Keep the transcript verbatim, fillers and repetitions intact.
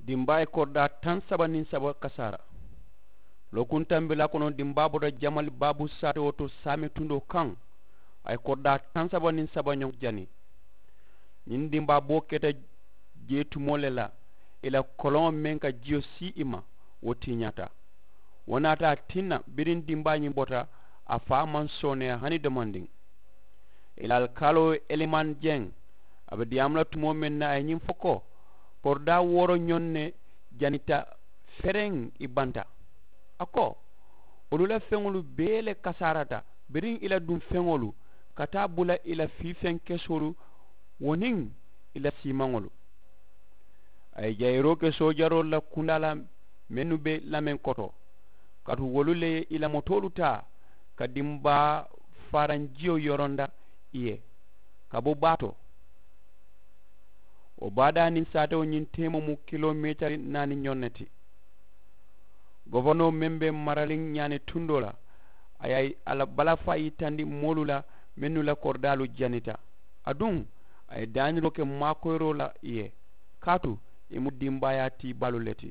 Dimbaa ye koridaa taŋ saba niŋ saba kasaara. Lookuntambilaa kono dimbaa bota jamali baabu saatewo to saame tundoo kaŋ. A ye koridaa taŋ saba niŋ saba ñoŋ jani. Ñiŋ dimbaa boo keta jee tumoo le la, ì la koloŋo meŋ ka jiyo sii ì ma, wo tiñaata. Wo naata a tinna biriŋ dimbaa ñiŋ bota, a faa maŋ sooneeya hani domandiŋ. Ì la alikaaloo ye elimaani jeŋ, a be diyaamu la tumoo meŋ na a ye ñiŋ fo ko, koridaa wooro ñoŋ ne janita fereŋ ì banta. A ko, wolu la feŋolu bee le kasaarata biriŋ ì la duŋ feŋolu ka taa bula ì la fiifeŋ kesoolu, wo niŋ ì la siimaŋolu. A ye jayiroo ke soojaroolu la kundaa la mennu be lameŋ koto, kaatu wolu le ye ì la motoolu taa ka dimbaa faaraŋ jiyo yoronda ì ye ka bo baa to. Wo baadaa niŋ saatewo ñiŋ teemoo mu kiloomeetari naani ñoŋ ne ti. Goforinoo meŋ be maraliŋ ñaani tundoo la, a ye a la balafaa yitandi moolu la mennu la koridaalu janita. Aduŋ a ye daaniroo ke maakoyiroo la ì ye, kaatu ì mu dimbaayaa tiibaalu le ti.